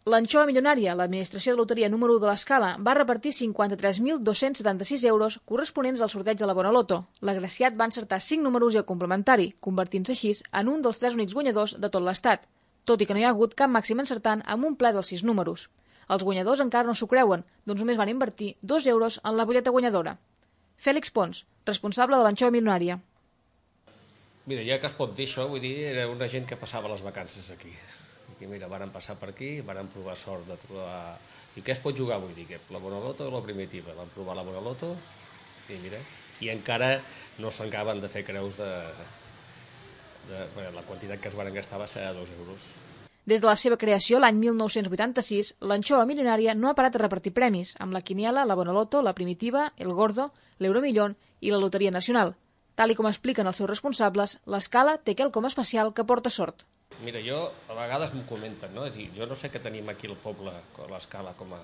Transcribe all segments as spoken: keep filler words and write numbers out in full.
L'anxova milionària, l'administració de loteria número u de l'Escala, va repartir cinquanta-tres mil dos-cents setanta-sis euros corresponents al sorteig de la Bonoloto. L'agraciat va encertar cinc números i el complementari, convertint-se així en un dels tres únics guanyadors de tot l'estat, tot i que no hi ha hagut cap màxim encertant amb un ple dels sis números. Els guanyadors encara no s'ho creuen, doncs només van invertir dos euros en la butlleta guanyadora. Fèlix Pons, responsable de l'anxova milionària. Mira, ja que es pot dir això, vull dir, era una gent que passava les vacances aquí. I mira, van passar per aquí, van provar sort de trobar... I què es pot jugar, vull dir, la Bonoloto o la primitiva? Van provar la Bonoloto i mira, i encara no s'acaben de fer creus de... de... Bueno, la quantitat que es van gastar va ser de dos euros. Des de la seva creació, l'any mil nou-cents vuitanta-sis, l'anxova milionària no ha parat de repartir premis, amb la quiniela, la Bonoloto, la primitiva, el Gordo, l'Euromillón i la Loteria Nacional. Tal i com expliquen els seus responsables, l'Escala té quelcom especial que porta sort. Mira, jo, a vegades m'ho comenten, no? És a dir, jo no sé què tenim aquí al poble, a l'Escala, com a,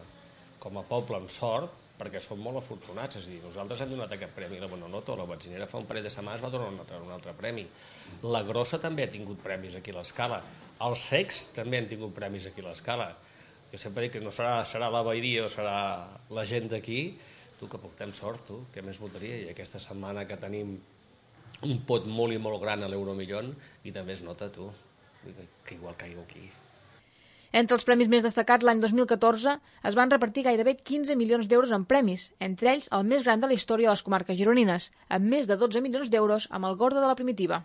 com a poble amb sort, perquè som molt afortunats. És a dir, nosaltres hem donat aquest premi a la Bonoloto, la Batzinera fa un parell de setmanes va donar un altre, un altre premi. La Grossa també ha tingut premis aquí a l'Escala. Els Cecs també han tingut premis aquí a l'Escala. Jo sempre dic que no serà, serà la veïria o serà la gent d'aquí, tu que portem sort, tu, què més voldria? I aquesta setmana que tenim un pot molt i molt gran a l'Euromillón i també es nota, tu, que igual caigo aquí. Entre els premis més destacats, l'any dos mil catorze es van repartir gairebé quinze milions d'euros en premis, entre ells el més gran de la història de les comarques gironines, amb més de dotze milions d'euros amb el Gordo de la primitiva.